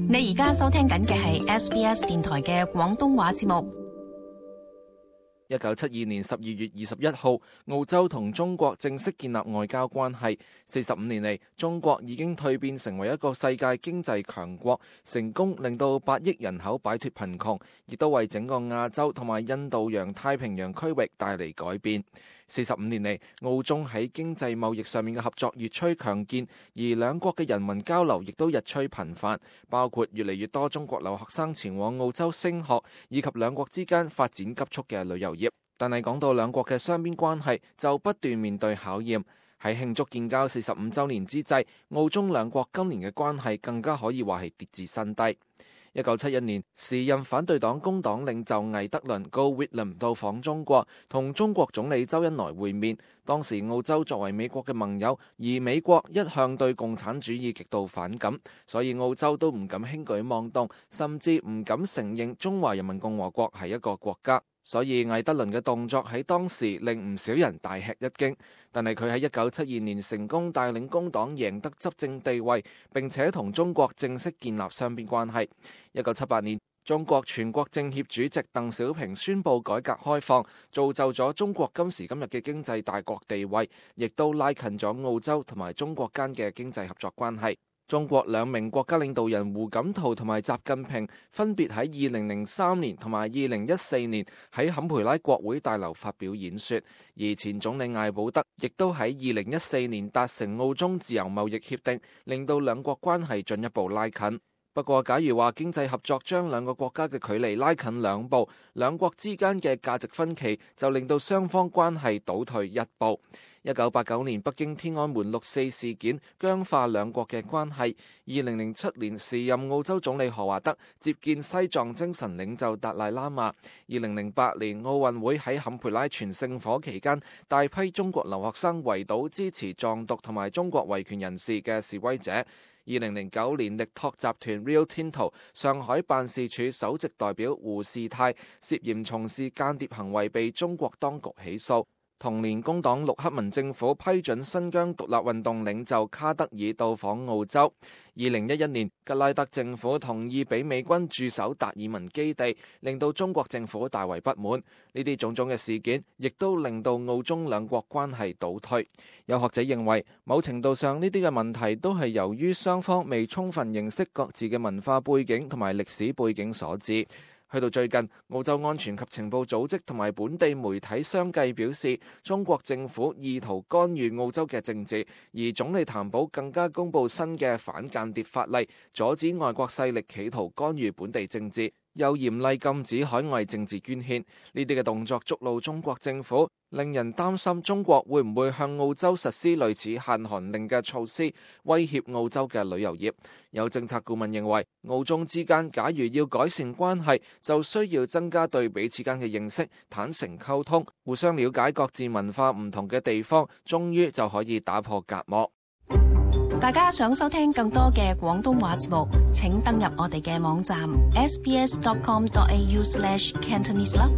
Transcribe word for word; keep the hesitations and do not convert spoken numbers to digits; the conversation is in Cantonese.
你而家收聽緊嘅係 S B S 電台嘅廣東話節目。一九七二年十二月二十一號，澳洲同中國正式建立外交關係。四十五年嚟，中國已經蛻變成為一個世界經濟強國，成功令到八億人口擺脫貧窮，亦都為整個亞洲同埋印度洋太平洋區域帶嚟改變。四十五年嚟，澳中喺經濟貿易上面嘅合作越趨強健，而兩國嘅人民交流亦都日趨頻繁，包括越嚟越多中國留學生前往澳洲升學，以及兩國之間發展急速嘅旅遊業。但係講到兩國嘅雙邊關係，就不斷面對考驗。喺慶祝建交四十五週年之際，澳中兩國今年嘅關係更加可以話係跌至新低。一九七一年，時任反對黨工黨領袖魏德倫 Gough Whitlam 到訪中國，同中國總理周恩來會面。當時澳洲作為美國嘅盟友，而美國一向對共產主義極度反感，所以澳洲都唔敢輕舉妄動，甚至唔敢承認中華人民共和國係一個國家。所以魏德倫嘅動作喺當時令唔少人大吃一驚，但係佢喺一九七二年成功帶領工黨贏得執政地位，並且同中國正式建立雙邊關係。一九七八年，中國全國政協主席鄧小平宣布改革開放，造就咗中國今時今日嘅經濟大國地位，亦都拉近咗澳洲同埋中國間嘅經濟合作關係。中國兩名國家領導人胡錦濤同埋習近平分別喺二零零三年同埋二零一四年喺坎培拉國會大樓發表演說，而前總理艾保德亦都喺二零一四年達成澳中自由貿易協定，令到兩國關係進一步拉近。不過，假如話經濟合作將兩個國家嘅距離拉近兩步，兩國之間嘅價值分歧就令到雙方關係倒退一步。一九八九年北京天安門六四事件僵化兩國嘅關係。二零零七年時任澳洲總理何華德接見西藏精神領袖達賴喇嘛。二零零八年奧運會喺坎培拉傳聖火期間，大批中國留學生圍堵支持藏獨同埋中國維權人士嘅示威者。二零零九年，力拓集團 Rio Tinto 上海辦事處首席代表胡士泰涉嫌從事間諜行為被中國當局起訴。同年，工黨陸克文政府批准新疆獨立運動領袖卡德爾到訪澳洲。二零一一年，吉拉德政府同意俾美軍駐守達爾文基地，令到中國政府大為不滿。呢啲種種嘅事件，亦都令到澳中兩國關係倒退。有學者認為，某程度上呢啲嘅問題都係由於雙方未充分認識各自嘅文化背景同埋歷史背景所致。去到最近，澳洲安全及情報組織同埋本地媒體相繼表示，中國政府意圖干預澳洲嘅政治，而總理譚寶更加公布新嘅反間諜法例，阻止外國勢力企圖干預本地政治，又嚴厲禁止海外政治捐獻。呢啲嘅動作觸怒中國政府，令人擔心中國會唔會向澳洲實施類似限韓令嘅措施，威脅澳洲嘅旅遊業。有政策顧問認為，澳中之間假如要改善關係，就需要增加對彼此間嘅認識，坦誠溝通，互相了解各自文化唔同嘅地方，終於就可以打破隔膜。大家想收聽更多嘅廣東話節目，請登入我哋嘅網站 s b s dot com dot a u slash cantonese 啦。